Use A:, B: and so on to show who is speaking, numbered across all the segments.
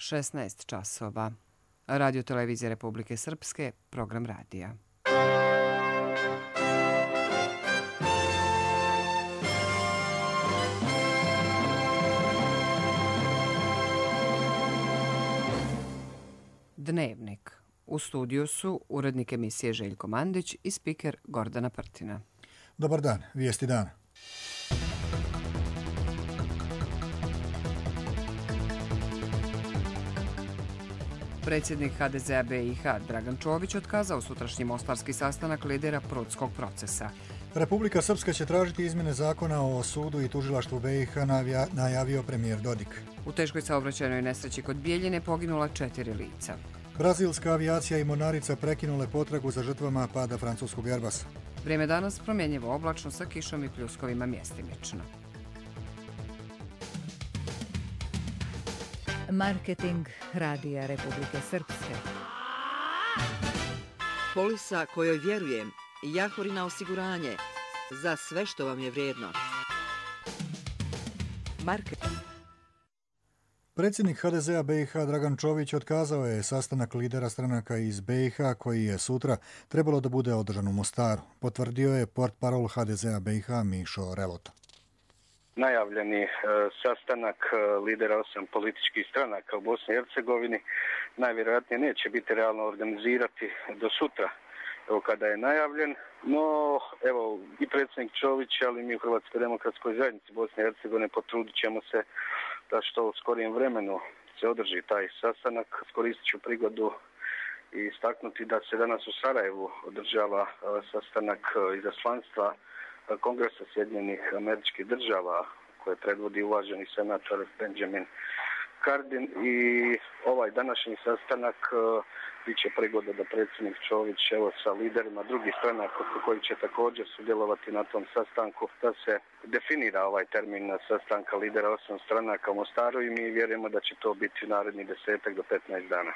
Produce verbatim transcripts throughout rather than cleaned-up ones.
A: šesnaest časova. Radio Televizija Republike Srpske, program radija. Dnevnik. U studiju su urednik emisije Željko Mandić i spiker Gordana Prtina.
B: Dobar dan, vijesti dana.
A: Predsjednik ha de zea be i ha Dragan Čović otkazao sutrašnji mostarski sastanak lidera Prudskog procesa.
B: Republika Srpska će tražiti izmjene zakona o sudu i tužilaštvu be i ha, najavio premijer Dodik.
A: U teškoj saobraćajnoj nesreći kod Bijeljine poginula četiri lica.
B: Brazilska avijacija i mornarica prekinule potragu za žrtvama pada francuskog Airbusa.
A: Vrijeme danas promjenjivo oblačno sa kišom i pljuskovima mjestimično.
C: Marketing Radija Republike Srpske.
D: Polisa kojoj vjerujem, Jahorina osiguranje, za sve što vam je vrijedno. Marketing.
B: Predsjednik ha de zea be i ha Dragan Čović otkazao je sastanak lidera stranaka iz be i ha koji je sutra trebalo da bude održan u Mostaru. Potvrdio je portparol ha de zea be i ha Mišo Relota.
E: Najavljeni e, sastanak e, lidera osam političkih stranaka u Bosni i Hercegovini najvjerojatnije neće biti realno organizirati do sutra, evo kada je najavljen. No, evo, i predsjednik Čović, ali mi u Hrvatskoj demokratskoj zajednici Bosne i Hercegovine potrudit ćemo se da što u skorijem vremenu se održi taj sastanak. Skoristit ću prigodu i istaknuti da se danas u Sarajevu održava e, sastanak e, izaslanstva Kongresa Sjedinjenih Američkih Država koje predvodi uvaženi senator Benjamin Cardin i ovaj današnji sastanak uh, bit će prigoda da predsjednik Čović evo sa liderima drugih stranaka koji će također sudjelovati na tom sastanku da se definira ovaj termin sastanka lidera osam stranaka u Mostaru i mi vjerujemo da će to biti naredni desetak do petnaest dana.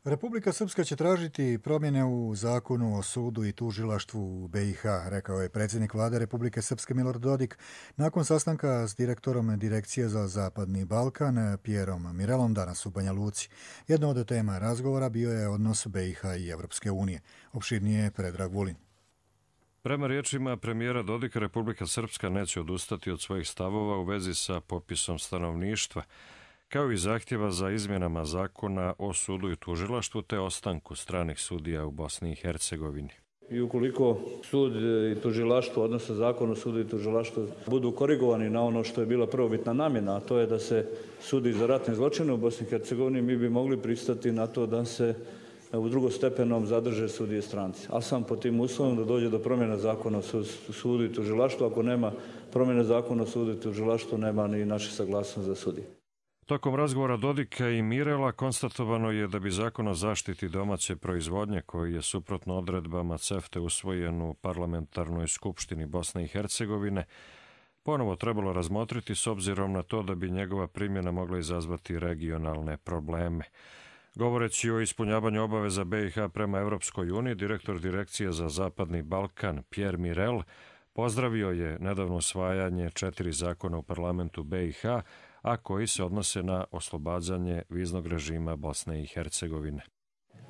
B: Republika Srpska će tražiti promjene u zakonu o sudu i tužilaštvu u be i ha, rekao je predsjednik vlade Republike Srpske Milorad Dodik nakon sastanka s direktorom Direkcije za Zapadni Balkan Pierom Mirelom danas u Banja Luci. Jedna od tema razgovora bio je odnos be i ha i Evropske unije. Opširnije je Predrag Vulin.
F: Prema riječima premijera Dodika, Republika Srpska neće odustati od svojih stavova u vezi sa popisom stanovništva, kao i zahtjeva za izmjenama zakona o sudu i tužilaštvu te ostanku stranih sudija u Bosni i Hercegovini.
G: I ukoliko sud i tužilaštvo, odnosno zakon o sudu i tužilaštvu, budu korigovani na ono što je bila prvobitna namjena, a to je da se sudi za ratne zločine u Bosni i Hercegovini, mi bi mogli pristati na to da se u drugostepenom zadrže sudije stranci. A sam po tim uslovom da dođe do promjena zakona o sudu i tužilaštvu. Ako nema promjene zakona o sudu i tužilaštvu, nema ni naše saglasnost za sudije.
F: Tokom razgovora Dodika i Mirela konstatovano je da bi zakon o zaštiti domaće proizvodnje, koji je suprotno odredbama CEFTA usvojen u parlamentarnoj skupštini Bosne i Hercegovine, ponovo trebalo razmotriti s obzirom na to da bi njegova primjena mogla izazvati regionalne probleme. Govoreći o ispunjavanju obaveza be i ha prema Evropskoj uniji, direktor Direkcije za Zapadni Balkan Pierre Mirel pozdravio je nedavno usvajanje četiri zakona u parlamentu be i ha, a koji se odnose na oslobađanje viznog režima Bosne i Hercegovine.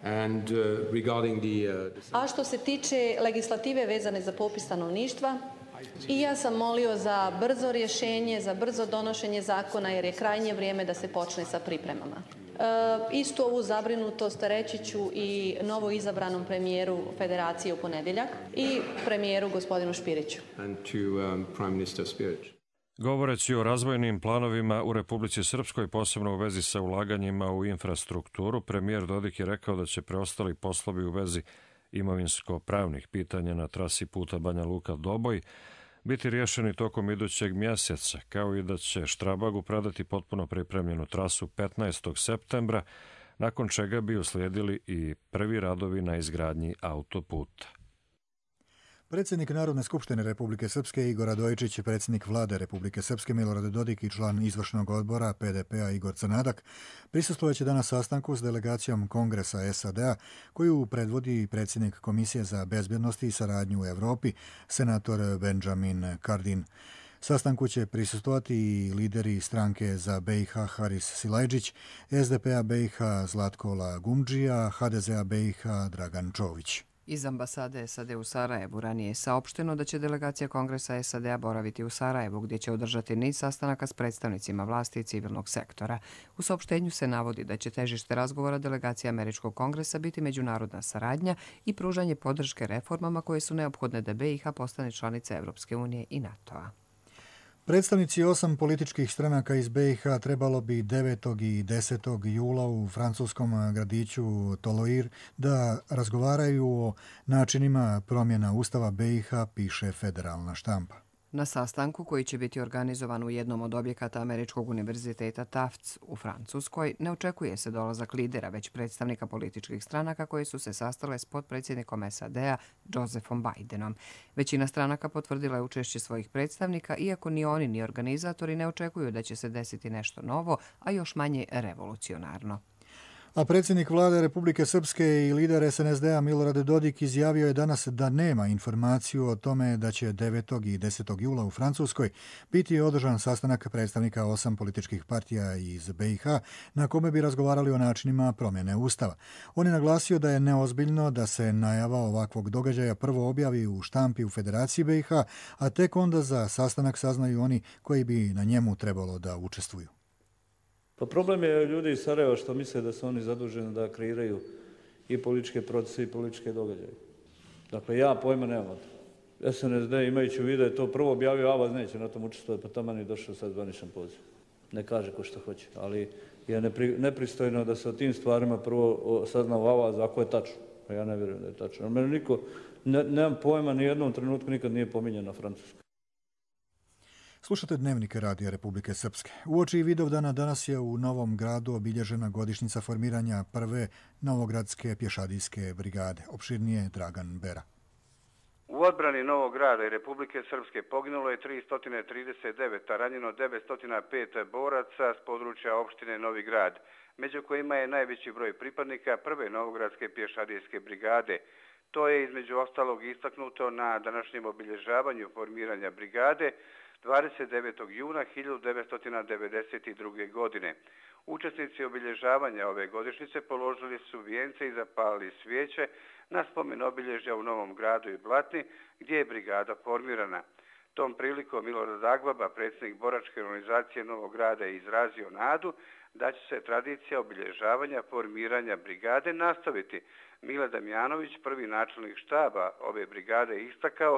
H: And, uh, regarding the, uh,
I: a što se tiče legislative vezane za popis stanovništva, i ja sam molio za brzo rješenje, za brzo donošenje zakona jer je krajnje vrijeme da se počne sa pripremama. E, istu ovu zabrinutost reći ću i novo izabranom premijeru Federacije u ponedjeljak i premijeru gospodinu Špiriću.
H: And to, um, Prime Minister Špirić.
F: Govoreći o razvojnim planovima u Republici Srpskoj, posebno u vezi sa ulaganjima u infrastrukturu, premijer Dodik je rekao da će preostali poslovi u vezi imovinsko-pravnih pitanja na trasi puta Banja Luka-Doboj biti riješeni tokom idućeg mjeseca, kao i da će Štrabagu predati potpuno pripremljenu trasu petnaestog septembra, nakon čega bi uslijedili i prvi radovi na izgradnji autoputa.
B: Predsjednik Narodne skupštine Republike Srpske Igor Radojičić, predsjednik vlade Republike Srpske Milorad Dodik i član izvršnog odbora pe de pe-a Igor Crnadak prisustvovaće danas sastanku s delegacijom Kongresa es a de-a koju predvodi predsjednik Komisije za bezbjednost i saradnju u Evropi, senator Benjamin Cardin. Sastanku će prisustvovati i lideri stranke za B i H Haris Silajdžić, S D P-a B i H Zlatkola Gumdžija, H D Z-a B i H Dragan Čović.
A: Iz ambasade S A D u Sarajevu ranije je saopšteno da će delegacija Kongresa S A D-a boraviti u Sarajevu, gdje će održati niz sastanaka s predstavnicima vlasti i civilnog sektora. U saopštenju se navodi da će težište razgovora delegacije Američkog kongresa biti međunarodna saradnja i pružanje podrške reformama koje su neophodne da B i H postane članica Evropske unije i NATO-a.
B: Predstavnici osam političkih stranaka iz B i H trebalo bi devetog i desetog jula u francuskom gradiću Toloir da razgovaraju o načinima promjena Ustava B i H, piše federalna štampa.
A: Na sastanku, koji će biti organizovan u jednom od objekata Američkog univerziteta Tufts u Francuskoj, ne očekuje se dolazak lidera, već predstavnika političkih stranaka koje su se sastale s potpredsjednikom S A D-a Josephom Bidenom. Većina stranaka potvrdila je učešće svojih predstavnika, iako ni oni ni organizatori ne očekuju da će se desiti nešto novo, a još manje revolucionarno.
B: A predsjednik vlade Republike Srpske i lider S N S D-a Milorad Dodik izjavio je danas da nema informaciju o tome da će devetog i desetog jula u Francuskoj biti održan sastanak predstavnika osam političkih partija iz B i H na kome bi razgovarali o načinima promjene Ustava. On je naglasio da je neozbiljno da se najava ovakvog događaja prvo objavi u štampi u Federaciji B i H, a tek onda za sastanak saznaju oni koji bi na njemu trebalo da učestvuju.
G: Pa problem je ljudi iz Sarajeva što misle da su oni zaduženi da kreiraju i političke procese i političke događaje. Dakle, ja pojma nemam. S N S D imajući u vidu da je to prvo objavio, Avaz neće na tom učestvovati, pa tamo je došao sad zvaničan poziv. Ne kaže ko što hoće, ali je nepri, nepristojno da se o tim stvarima prvo sazna u Avaz ako je tačno. Pa ja ne vjerujem da je tačno. Mene niko, ne, nemam pojma, ni jednom trenutku nikad nije pominjan na Francusku.
B: Slušate Dnevnike Radija Republike Srpske. Uoči Vidovdana danas je u Novom Gradu obilježena godišnjica formiranja prve Novogradske pješadijske brigade. Opširnije Dragan Bera.
J: U odbrani Novog Grada i Republike Srpske poginulo je tristo trideset devet, a ranjeno devetsto pet boraca s područja opštine Novi Grad, među kojima je najveći broj pripadnika prve Novogradske pješadijske brigade. To je između ostalog istaknuto na današnjem obilježavanju formiranja brigade dvadeset devetog juna hiljadu devetsto devedeset druge. godine. Učesnici obilježavanja ove godišnjice položili su vijence i zapalili svijeće na spomen obilježja u Novom Gradu i Blatni, gdje je brigada formirana. Tom prilikom Milorad Agbaba, predsjednik boračke organizacije Novog Grada, je izrazio nadu da će se tradicija obilježavanja formiranja brigade nastaviti. Mile Damjanović, prvi načelnik štaba ove brigade, istakao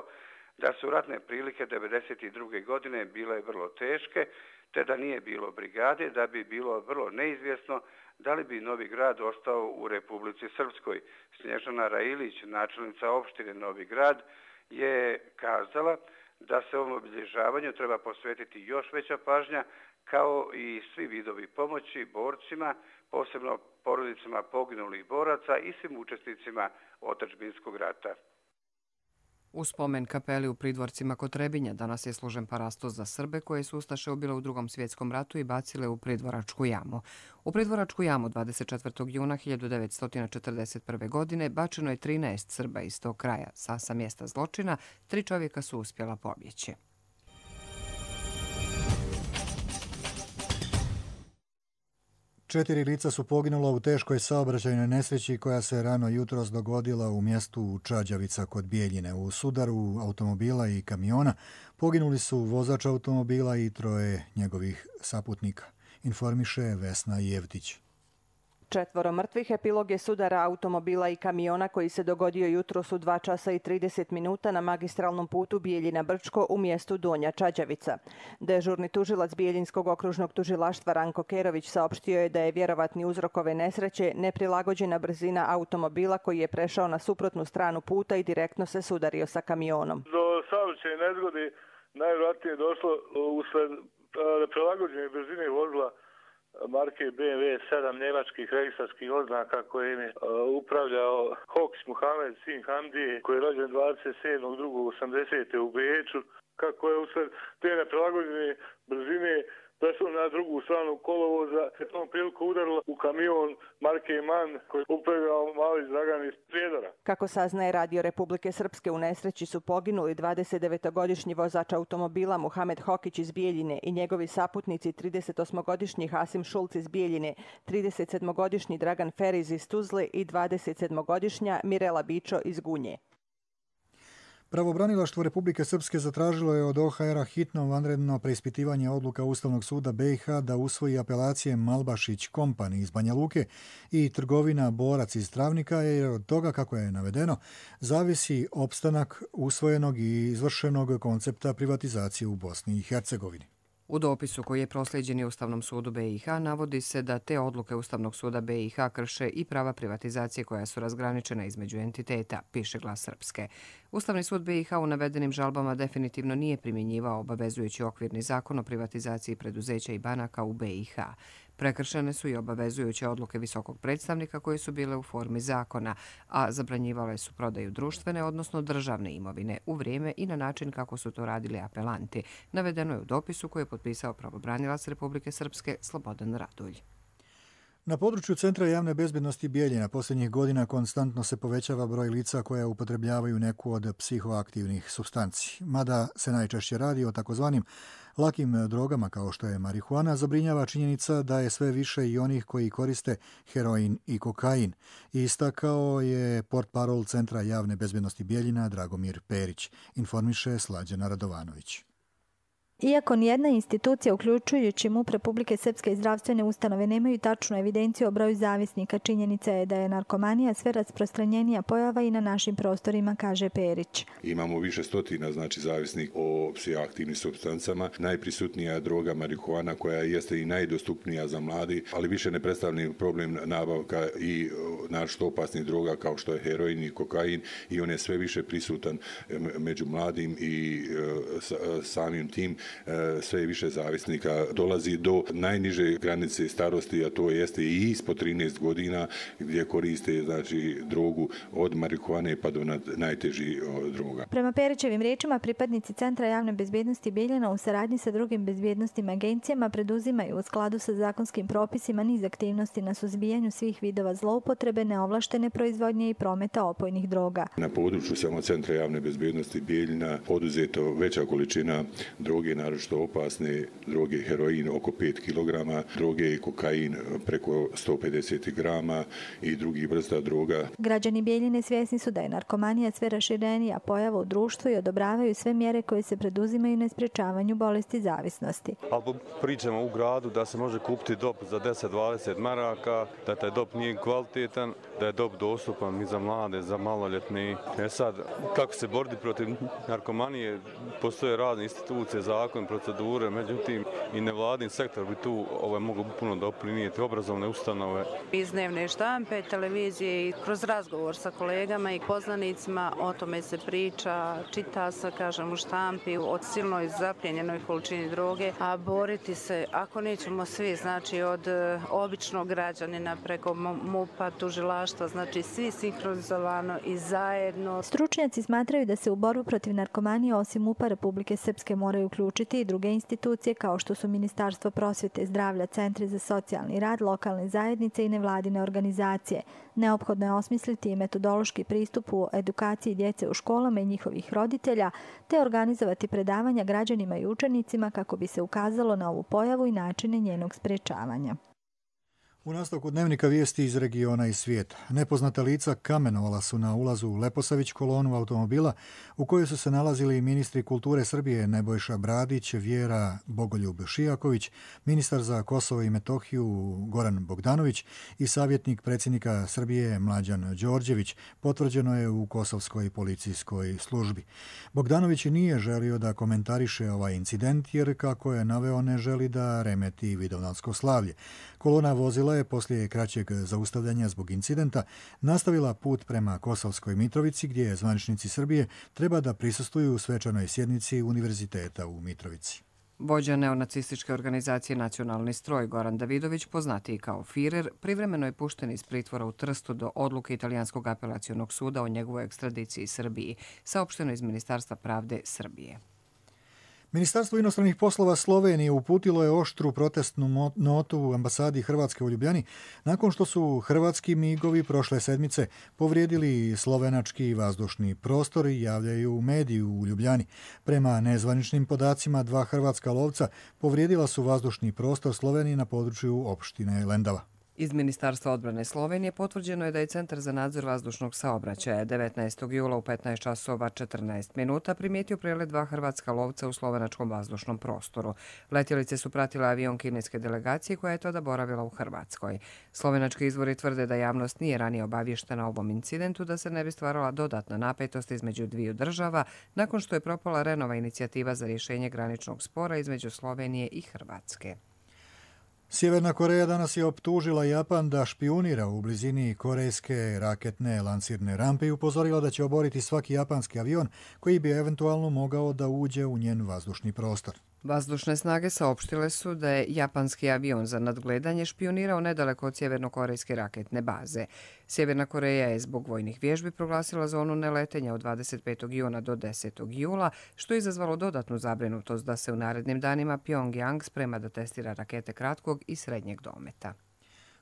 J: da su ratne prilike devedeset druge. godine bile vrlo teške, te da nije bilo brigade, da bi bilo vrlo neizvjesno da li bi Novi Grad ostao u Republici Srpskoj. Snježana Railić, načelnica opštine Novi Grad, je kazala da se ovom obilježavanju treba posvetiti još veća pažnja, kao i svi vidovi pomoći borcima, posebno porodicama poginulih boraca i svim učesnicima otadžbinskog rata.
A: U spomen kapeli u Pridvorcima kod Trebinja danas je služen parastos za Srbe koje su ustaše ubile u Drugom svjetskom ratu i bacile u Pridvoračku jamu. U Pridvoračku jamu dvadeset četvrtog juna hiljadu devetsto četrdeset prve. godine bačeno je trinaest Srba iz tog kraja. Sa sa mjesta zločina tri čovjeka su uspjela pobjeći.
B: Četiri lica su poginula u teškoj saobraćajnoj nesreći koja se rano jutros dogodila u mjestu Čađavica kod Bijeljine. U sudaru automobila i kamiona poginuli su vozač automobila i troje njegovih saputnika, informiše Vesna Jevtić.
K: Četvoro mrtvih epilog je sudara automobila i kamiona koji se dogodio jutros u dva časa i trideset minuta na magistralnom putu Bijeljina-Brčko u mjestu Donja Čađavica. Dežurni tužilac Bijeljinskog okružnog tužilaštva Ranko Kerović saopštio je da je vjerovatni uzrok ove nesreće neprilagođena brzina automobila koji je prešao na suprotnu stranu puta i direktno se sudario sa kamionom.
L: Do saobraćajne nezgode najvjerojatnije je došlo usled neprilagođene brzine vozila marke B M W sedam njemačkih registarskih oznaka kojim je uh, upravljao Hoks Muhamed Sin Hamdije, koji je rođen dvadeset sedmog drugog osamdesete u Beču. Kako je usled te neprilagođene brzine prešlo na drugu stranu kolovoza, se tom priliku udarilo u kamion marke MAN koji je upravljao mali Dragan iz Prijedora.
K: Kako saznaje Radio Republike Srpske, u nesreći su poginuli dvadesetdevetogodišnji vozač automobila Muhamed Hokić iz Bijeljine i njegovi saputnici tridesetosmogodišnji Hasim Šulc iz Bijeljine, tridesetsedmogodišnji Dragan Feriz iz Tuzle i dvadesetsedmogodišnja Mirela Bičo iz Gunje.
B: Pravobranilaštvo Republike Srpske zatražilo je od O H R-a hitno vanredno preispitivanje odluka Ustavnog suda B i H da usvoji apelacije Malbašić Kompani iz Banja Luke i trgovina Borac iz Travnika, jer od toga, kako je navedeno, zavisi opstanak usvojenog i izvršenog koncepta privatizacije u Bosni i Hercegovini.
A: U dopisu koji je proslijeđen Ustavnom sudu B i H navodi se da te odluke Ustavnog suda B i H krše i prava privatizacije koja su razgraničena između entiteta, piše Glas Srpske. Ustavni sud B i H u navedenim žalbama definitivno nije primjenjivao obavezujući okvirni zakon o privatizaciji preduzeća i banaka u B i H. Prekršene su i obavezujuće odluke visokog predstavnika koje su bile u formi zakona, a zabranjivale su prodaju društvene, odnosno državne imovine u vrijeme i na način kako su to radili apelanti. Navedeno je u dopisu koji je potpisao pravobranilac Republike Srpske Slobodan Radulj.
B: Na području Centra javne bezbednosti Bijeljina posljednjih godina konstantno se povećava broj lica koja upotrebljavaju neku od psihoaktivnih supstanci. Mada se najčešće radi o takozvanim lakim drogama kao što je marihuana, zabrinjava činjenica da je sve više i onih koji koriste heroin i kokain. Istakao je portparol Centra javne bezbednosti Bijeljina Dragomir Perić, informiše Slađana Radovanović.
M: Iako nijedna institucija, uključujući M U P Republike Srpske i zdravstvene ustanove, nemaju tačnu evidenciju o broju zavisnika, činjenica je da je narkomanija sve rasprostranjenija pojava i na našim prostorima, kaže Perić.
N: Imamo više stotina, znači, zavisnih o psihoaktivnim supstancama. Najprisutnija je droga marihuana koja jeste i najdostupnija za mladi, ali više ne predstavlja problem nabavka i naročito opasnih droga kao što je heroin i kokain, i on je sve više prisutan među mladim i samim tim sve više zavisnika dolazi do najniže granice starosti, a to jeste i ispod trinaest godina, gdje koriste, znači, drogu od marihuane pa do najtežih droga.
M: Prema Perićevim riječima, pripadnici Centra javne bezbjednosti Bijeljina u saradnji sa drugim bezbjednostnim agencijama preduzimaju u skladu sa zakonskim propisima niz aktivnosti na suzbijanju svih vidova zloupotrebe, neovlaštene proizvodnje i prometa opojnih droga.
N: Na području samo Centra javne bezbjednosti Bijeljina oduzeto veća količina droge, naročito opasne droge, heroin oko pet kilograma, droge i kokain preko sto pedeset grama i drugih vrsta droga.
M: Građani Bijeljine svjesni su da je narkomanija sve raširenija pojava u društvu i odobravaju sve mjere koje se preduzimaju na sprječavanju bolesti zavisnosti.
O: Ali pričamo u gradu da se može kupiti dop za deset do dvadeset maraka, da taj dop nije kvalitetan, da je dop dostupan i za mlade, za maloljetne. E sad, kako se boriti protiv narkomanije, postoje razne institucije, zakon, procedure, međutim i nevladin sektor bi tu ovaj, mogu puno doprinijeti, obrazovne ustanove.
P: Iz dnevne štampe, televizije i kroz razgovor sa kolegama i poznanicima o tome se priča, čita se, kažem, u štampi o silnoj zapljenjenoj količini droge, a boriti se, ako nećemo svi, znači od običnog građanina preko M U P-a, tužilaštva, znači svi sinhronizovano i zajedno.
M: Stručnjaci smatraju da se u borbu protiv narkomanije osim M U P-a Republike Srpske moraju uključiti i druge institucije kao što su Ministarstvo prosvjete, zdravlja, centri za socijalni rad, lokalne zajednice i nevladine organizacije. Neophodno je osmisliti i metodološki pristup u edukaciji djece u školama i njihovih roditelja, te organizovati predavanja građanima i učenicima kako bi se ukazalo na ovu pojavu i načine njenog sprječavanja.
B: U nastavku dnevnika vijesti iz regiona i svijeta. Nepoznata lica kamenovala su na ulazu u Leposavić kolonu automobila u kojoj su se nalazili ministri kulture Srbije Nebojša Bradić, Vjera Bogoljub Šijaković, ministar za Kosovo i Metohiju Goran Bogdanović i savjetnik predsjednika Srbije Mlađan Đorđević, potvrđeno je u kosovskoj policijskoj službi. Bogdanović nije želio da komentariše ovaj incident jer, kako je naveo, ne želi da remeti vidovdansko slavlje. Kolona vozila je poslije kraćeg zaustavljanja zbog incidenta nastavila put prema Kosovskoj Mitrovici, gdje je zvaničnici Srbije treba da prisustvuju svečanoj sjednici Univerziteta u Mitrovici.
A: Vođa neonacističke organizacije Nacionalni stroj Goran Davidović, poznatiji kao Firer, privremeno je pušten iz pritvora u Trstu do odluke Italijanskog apelacionog suda o njegovoj ekstradiciji Srbiji, saopšteno iz Ministarstva pravde Srbije.
B: Ministarstvo inostranih poslova Slovenije uputilo je oštru protestnu notu u ambasadi Hrvatske u Ljubljani nakon što su hrvatski migovi prošle sedmice povrijedili slovenački vazdušni prostor i javljaju mediju u Ljubljani. Prema nezvaničnim podacima, dva hrvatska lovca povrijedila su vazdušni prostor Slovenije na području opštine Lendava.
A: Iz Ministarstva odbrane Slovenije potvrđeno je da je Centar za nadzor vazdušnog saobraćaja devetnaestog jula u petnaest časova četrnaest minuta primijetio prelet dva hrvatska lovca u slovenačkom vazdušnom prostoru. Letjelice su pratile avion kineske delegacije koja je tada boravila u Hrvatskoj. Slovenački izvori tvrde da javnost nije ranije obavještena o ovom incidentu, da se ne bi stvarala dodatna napetost između dviju država nakon što je propala Renova inicijativa za rješenje graničnog spora između Slovenije i Hrvatske.
B: Sjeverna Koreja danas je optužila Japan da špijunira u blizini korejske raketne lansirne rampe i upozorila da će oboriti svaki japanski avion koji bi eventualno mogao da uđe u njen vazdušni prostor.
A: Vazdušne snage saopštile su da je japanski avion za nadgledanje špijunirao nedaleko od sjevernokorejske raketne baze. Sjeverna Koreja je zbog vojnih vježbi proglasila zonu neletenja od dvadeset petog juna do desetog jula, što je izazvalo dodatnu zabrinutost da se u narednim danima Pyongyang sprema da testira rakete kratkog i srednjeg dometa.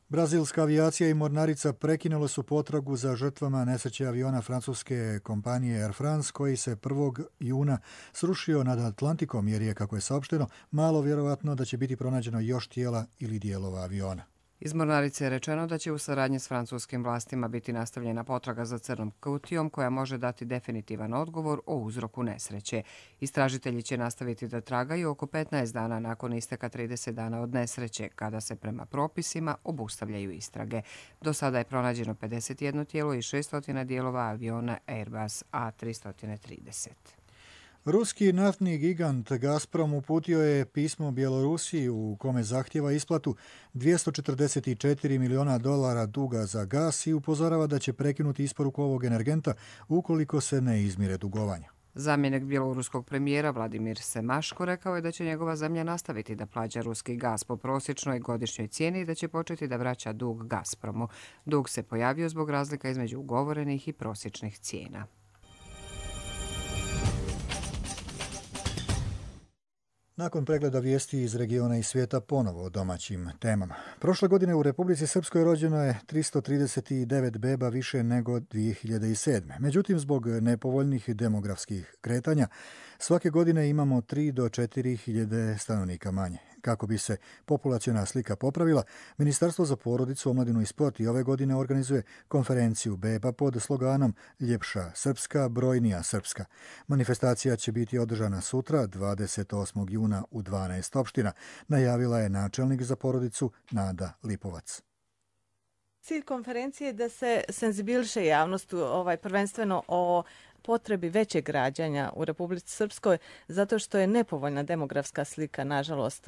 B: Brazilska avijacija i mornarica prekinule su potragu za žrtvama nesreće aviona francuske kompanije Air France koji se prvog juna srušio nad Atlantikom jer je, kako je saopšteno, malo vjerovatno da će biti pronađeno još tijela ili dijelova aviona.
A: Iz mornarice je rečeno da će u saradnji s francuskim vlastima biti nastavljena potraga za crnom kutijom koja može dati definitivan odgovor o uzroku nesreće. Istražitelji će nastaviti da tragaju oko petnaest dana nakon isteka trideset dana od nesreće, kada se prema propisima obustavljaju istrage. Do sada je pronađeno pedeset jedno tijelo i šessto dijelova aviona Airbus A tristo trideset.
B: Ruski naftni gigant Gazprom uputio je pismo Bjelorusiji u kome zahtjeva isplatu dvjesto četrdeset četiri miliona dolara duga za gas i upozorava da će prekinuti isporuku ovog energenta ukoliko se ne izmire dugovanja.
A: Zamjenik bjeloruskog premijera Vladimir Semaško rekao je da će njegova zemlja nastaviti da plaća ruski gas po prosječnoj godišnjoj cijeni i da će početi da vraća dug Gazpromu. Dug se pojavio zbog razlika između ugovorenih i prosječnih cijena.
B: Nakon pregleda vijesti iz regiona i svijeta, ponovo o domaćim temama. Prošle godine u Republici Srpskoj rođeno je tristo trideset devet beba više nego dvije hiljade sedme. Međutim, zbog nepovoljnih demografskih kretanja, svake godine imamo tri do četiri hiljade stanovnika manje. Kako bi se populaciona slika popravila, Ministarstvo za porodicu, omladinu i sport i ove godine organizuje konferenciju beba pod sloganom Ljepša Srpska, brojnija Srpska. Manifestacija će biti održana sutra, dvadeset osmog juna u dvanaest opština, najavila je načelnik za porodicu Nada Lipovac.
Q: Cilj konferencije je da se senzibiliše javnost ovaj, prvenstveno o potrebi većeg rađanja u Republici Srpskoj, zato što je nepovoljna demografska slika, nažalost.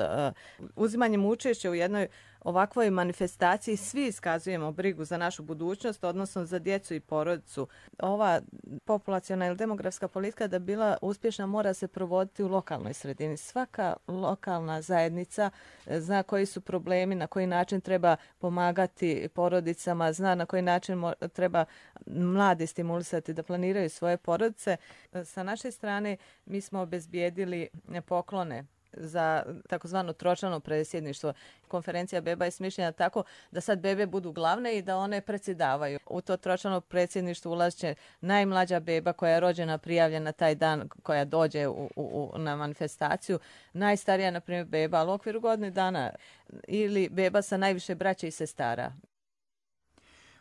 Q: Uzimanjem učešća u jednoj ovakvoj manifestaciji svi iskazujemo brigu za našu budućnost, odnosno za djecu i porodicu. Ova populaciona ili demografska politika da bila uspješna mora se provoditi u lokalnoj sredini. Svaka lokalna zajednica zna koji su problemi, na koji način treba pomagati porodicama, zna na koji način treba mlade stimulisati da planiraju svoje porodice. Sa naše strane mi smo obezbijedili poklone za takozvano tročlano predsjedništvo. Konferencija beba je smišljena tako da sad bebe budu glavne i da one predsjedavaju. U to tročlano predsjedništvo ulaže najmlađa beba koja je rođena, prijavljena taj dan, koja dođe u, u, na manifestaciju. Najstarija, na primjer, beba, ali u okviru godine dana ili beba sa najviše braće i sestara.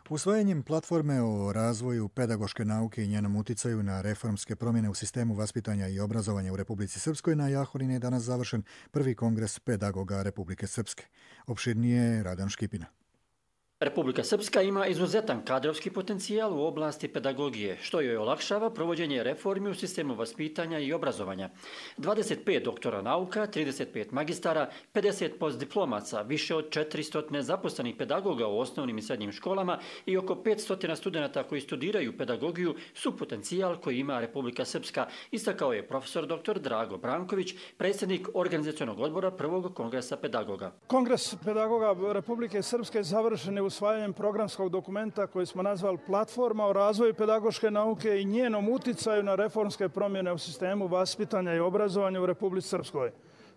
B: Usvajanjem platforme o razvoju pedagoške nauke i njenom uticaju na reformske promjene u sistemu vaspitanja i obrazovanja u Republici Srpskoj na Jahorini je danas završen prvi kongres pedagoga Republike Srpske. Opširnije Radan Škipina.
R: Republika Srpska ima izuzetan kadrovski potencijal u oblasti pedagogije, što joj olakšava provođenje reformi u sistemu vaspitanja i obrazovanja. dvadeset pet doktora nauka, trideset pet magistara, pedeset postdiplomaca, više od četiristo zaposlenih pedagoga u osnovnim i srednjim školama i oko petsto studenata koji studiraju pedagogiju su potencijal koji ima Republika Srpska, istakao je profesor doktor Drago Branković, predsjednik organizacionog odbora prvog kongresa pedagoga.
S: Kongres pedagoga Republike Srpske završen je u usvajanjem programskog dokumenta koji smo nazvali Platforma o razvoju pedagoške nauke i njenom uticaju na reformske promjene u sistemu vaspitanja i obrazovanja u Republici Srpskoj.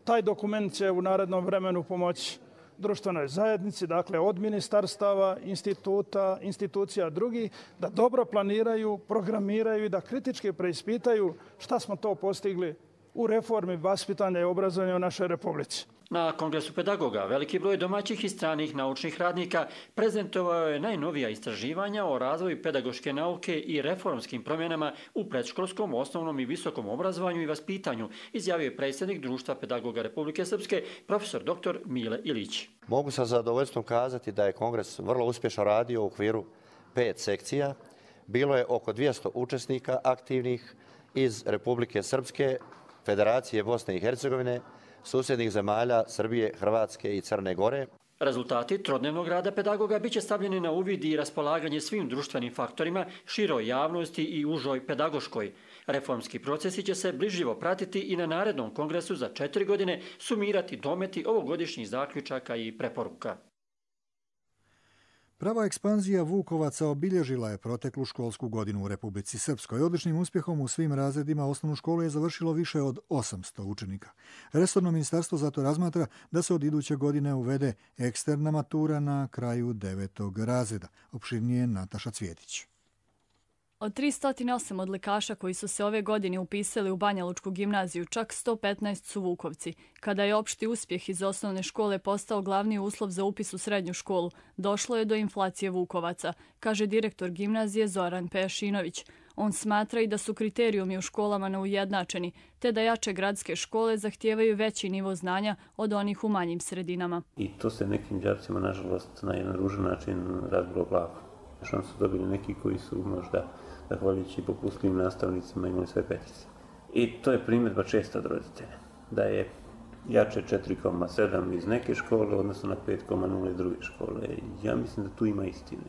S: Taj dokument će u narednom vremenu pomoći društvenoj zajednici, dakle od ministarstava, instituta, institucija drugih, da dobro planiraju, programiraju i da kritički preispitaju šta smo to postigli u reformi vaspitanja i obrazovanja u našoj Republici.
R: Na Kongresu pedagoga veliki broj domaćih i stranih naučnih radnika prezentovao je najnovija istraživanja o razvoju pedagoške nauke i reformskim promjenama u predškolskom, osnovnom i visokom obrazovanju i vaspitanju, izjavio je predsjednik Društva pedagoga Republike Srpske, profesor doktor Mile Ilić.
T: Mogu sa zadovoljstvom kazati da je Kongres vrlo uspješno radio u okviru pet sekcija. Bilo je oko dvjesto učesnika aktivnih iz Republike Srpske, Federacije Bosne i Hercegovine, susjednih zemalja Srbije, Hrvatske i Crne Gore.
R: Rezultati trodnevnog rada pedagoga biće stavljeni na uvid i raspolaganje svim društvenim faktorima, široj javnosti i užoj pedagoškoj. Reformski procesi će se bliživo pratiti i na narednom kongresu za četiri godine, sumirati dometi ovogodišnjih zaključaka i preporuka.
B: Prava ekspanzija Vukovaca obilježila je proteklu školsku godinu u Republici Srpskoj. Odličnim uspjehom u svim razredima osnovnu školu je završilo više od osamsto učenika. Resorno ministarstvo zato razmatra da se od iduće godine uvede eksterna matura na kraju devetog razreda. Opširnije Nataša Cvjetić.
U: Od tristo osam odlikaša koji su se ove godine upisali u Banja Lučku gimnaziju, čak sto petnaest su Vukovci. Kada je opšti uspjeh iz osnovne škole postao glavni uslov za upis u srednju školu, došlo je do inflacije Vukovaca, kaže direktor gimnazije Zoran Pejašinović. On smatra i da su kriterijumi u školama neujednačeni, te da jače gradske škole zahtijevaju veći nivo znanja od onih u manjim sredinama.
V: I to se nekim đacima, nažalost, na jedan ružan način razbilo glavu. Što su dobili neki koji su možda, zahvaljujući popustljivim nastavnicima, imali sve petice. I to je primjedba česta od roditelja, da je jače četiri zarez sedam iz neke škole, odnosno na pet zarez nula iz druge škole. Ja mislim da tu ima istine.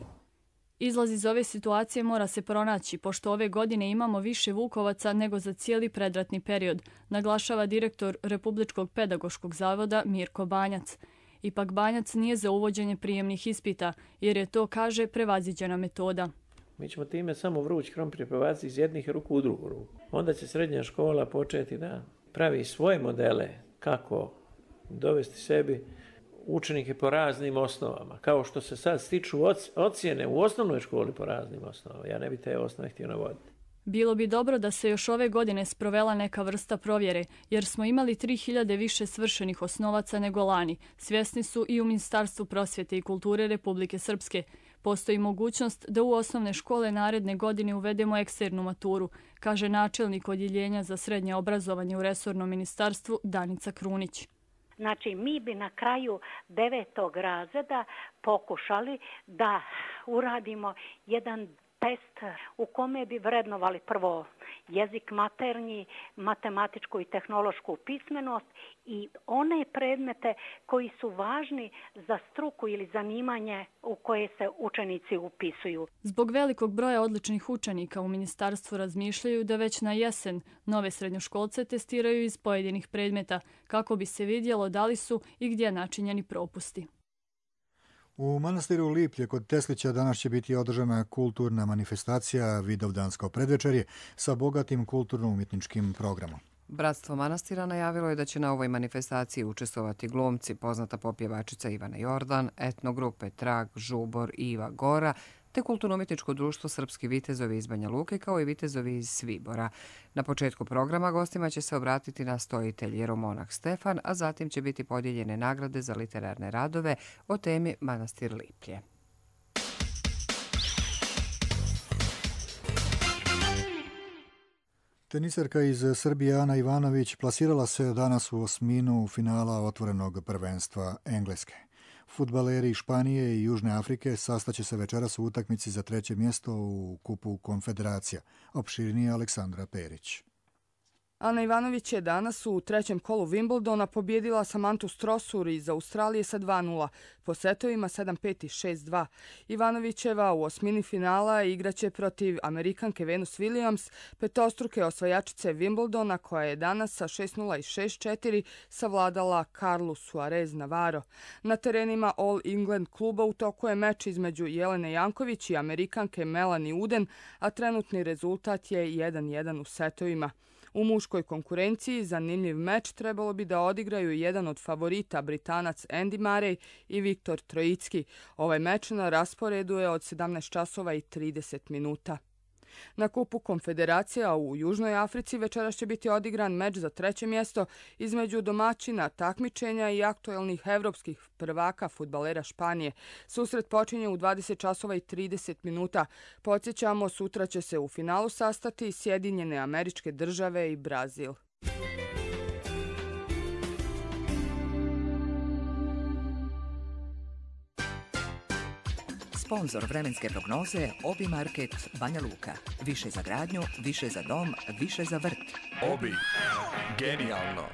U: Izlaz iz ove situacije mora se pronaći, pošto ove godine imamo više Vukovaca nego za cijeli predratni period, naglašava direktor Republičkog pedagoškog zavoda Mirko Banjac. Ipak Banjac nije za uvođenje prijemnih ispita, jer je to, kaže, prevaziđena metoda.
W: Mi ćemo time samo vruć krompir prebaciti iz jednih ruku u drugu ruku. Onda će srednja škola početi da pravi svoje modele kako dovesti sebi učenike po raznim osnovama. Kao što se sad stiču ocjene u osnovnoj školi po raznim osnovama. Ja ne bi te osnove htio navoditi.
U: Bilo bi dobro da se još ove godine sprovela neka vrsta provjere, jer smo imali tri hiljade više svršenih osnovaca nego lani. Svjesni su i u Ministarstvu prosvjete i kulture Republike Srpske. Postoji mogućnost da u osnovne škole naredne godine uvedemo eksternu maturu, kaže načelnik odjeljenja za srednje obrazovanje u resornom ministarstvu Danica Krunić.
X: Znači, mi bi na kraju devetog razreda pokušali da uradimo jedan test u kome bi vrednovali prvo jezik maternji, matematičku i tehnološku pismenost i one predmete koji su važni za struku ili zanimanje u koje se učenici upisuju.
U: Zbog velikog broja odličnih učenika u ministarstvu razmišljaju da već na jesen nove srednjoškolce testiraju iz pojedinih predmeta kako bi se vidjelo da li su i gdje načinjeni propusti.
B: U manastiru Liplje kod Teslića danas će biti održana kulturna manifestacija Vidovdansko predvečerje sa bogatim kulturno-umjetničkim programom.
A: Bratstvo manastira najavilo je da će na ovoj manifestaciji učestvovati glumci, poznata popjevačica Ivana Jordan, etnogrupe Trag, Žubor i Iva Gora, te kulturno-umjetničko društvo Srpski vitezovi iz Banja Luke kao i vitezovi iz Svibora. Na početku programa gostima će se obratiti nastojitelj jeromonah Stefan, a zatim će biti podijeljene nagrade za literarne radove o temi Manastir Liplje.
B: Teniserka iz Srbije Ana Ivanović plasirala se danas u osminu finala otvorenog prvenstva Engleske. Fudbaleri Španije i Južne Afrike sastaće se večeras u utakmici za treće mjesto u Kupu Konfederacija. Opširnije Aleksandra Perić.
C: Ana Ivanović je danas u trećem kolu Wimbledona pobjedila Samantu Strossur iz Australije sa dva nula, po setovima sedam pet i šest dva. Ivanovićeva u osmini finala igraće protiv Amerikanke Venus Williams, petostruke osvajačice Wimbledona, koja je danas sa šest nula i šest četiri savladala Carlu Suarez Navarro. Na terenima All England kluba u toku je meč između Jelene Janković i Amerikanke Melanie Uden, a trenutni rezultat je jedan jedan u setovima. U muškoj konkurenciji zanimljiv meč trebalo bi da odigraju jedan od favorita, Britanac Andy Murray i Viktor Trojicki. Ovaj meč na rasporedu je od sedamnaest časova i trideset minuta. Na kupu Konfederacija u Južnoj Africi večeras će biti odigran meč za treće mjesto između domaćina takmičenja i aktuelnih evropskih prvaka fudbalera Španije. Susret počinje u dvadeset časova i trideset minuta. Podsjećamo, sutra će se u finalu sastati Sjedinjene Američke Države i Brazil.
D: Sponzor vremenske prognoze Obi Market Banja Luka. Više za gradnju, više za dom, više za vrt.
E: Obi. Genijalno.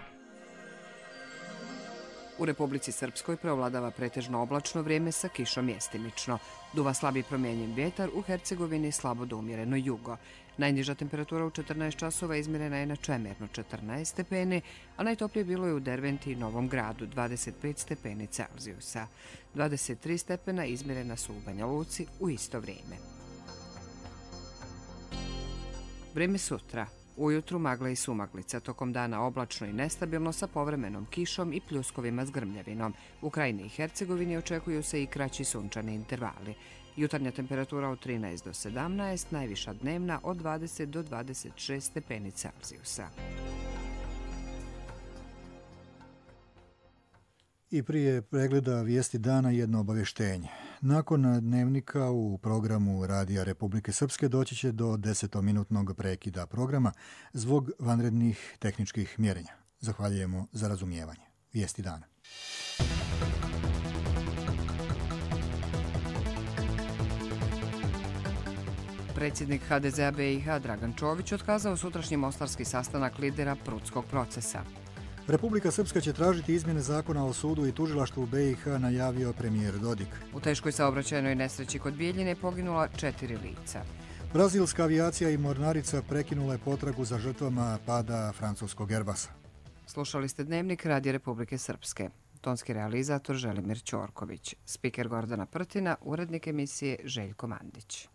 A: U Republici Srpskoj preovladava pretežno oblačno vrijeme sa kišom mjestimično. Duva slabi promijenjen vjetar, u Hercegovini slabo do umjereno jugo. Najniža temperatura u četrnaest časova izmjerena je na Čemernu četrnaest stepeni, a najtoplije bilo je u Derventi i Novom Gradu dvadeset pet stepeni Celzijusa. dvadeset tri stepena izmjerena su u Banja Luci u isto vrijeme. Vrijeme sutra. Ujutru magla i sumaglica, tokom dana oblačno i nestabilno sa povremenom kišom i pljuskovima s grmljavinom. U Krajini i Hercegovini očekuju se i kraći sunčani intervali. Jutarnja temperatura od trinaest do sedamnaest, najviša dnevna od dvadeset do dvadeset šest stepeni Celzijusa.
B: I prije pregleda vijesti dana jedno obavještenje. Nakon dnevnika u programu Radija Republike Srpske doći će do desetominutnog prekida programa zbog vanrednih tehničkih mjerenja. Zahvaljujemo za razumijevanje. Vijesti dana.
A: Predsjednik ha de zea be i ha Dragan Čović otkazao sutrašnji mostarski sastanak lidera Prudskog procesa.
B: Republika Srpska će tražiti izmjene zakona o sudu i tužilaštvu u be i ha, najavio premijer Dodik.
A: U teškoj saobraćajnoj nesreći kod Bijeljine poginula četiri lica.
B: Brazilska avijacija i mornarica prekinula je potragu za žrtvama pada francuskog Airbusa.
A: Slušali ste Dnevnik Radija Republike Srpske. Tonski realizator Želimir Ćorković. Spiker Gordana Prtina, urednik emisije Željko Mandić.